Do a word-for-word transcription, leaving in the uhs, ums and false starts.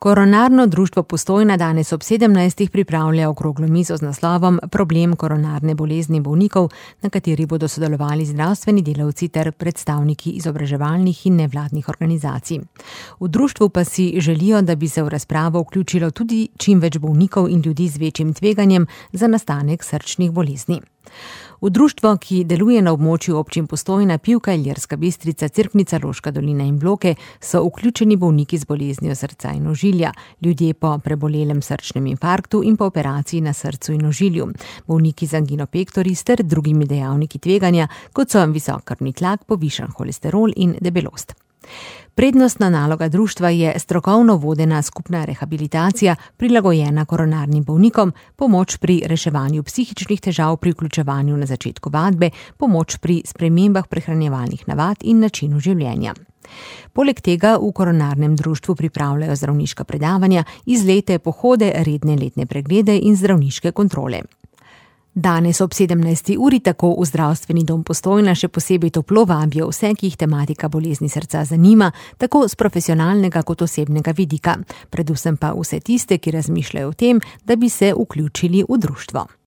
Koronarno društvo Postojna danes ob sedemnajstih pripravlja okroglo mizo z naslovom Problem koronarne bolezni bolnikov, na kateri bodo sodelovali zdravstveni delavci ter predstavniki izobraževalnih in nevladnih organizacij. V društvu pa si želijo, da bi se v razpravo vključilo tudi čim več bolnikov in ljudi z večjim tveganjem za nastanek srčnih bolezni. V društvo, ki deluje na območju občin Postojna, Pivka, Ilirska Bistrica, Cerknica, Loška dolina in Bloke, so vključeni bolniki z boleznijo srca in ožilja, ljudje po prebolelem srčnem infarktu in po operaciji na srcu in ožilju, bolniki z angino pectoris ter drugimi dejavniki tveganja, kot so visok krvni tlak, povišan holesterol in debelost. Prednostna naloga društva je strokovno vodena skupna rehabilitacija, prilagojena koronarnim bolnikom, pomoč pri reševanju psihičnih težav pri vključevanju na začetku vadbe, pomoč pri spremembah prehranjevalnih navad in načinu življenja. Poleg tega v koronarnem društvu pripravljajo zdravniška predavanja, izlete, pohode, redne letne preglede in zdravniške kontrole. Danes ob sedemnajsti uri tako v Zdravstveni dom Postojna še posebej toplo vabijo vse, ki jih tematika bolezni srca zanima, tako z profesionalnega kot osebnega vidika, predvsem pa vse tiste, ki razmišljajo o tem, da bi se vključili v društvo.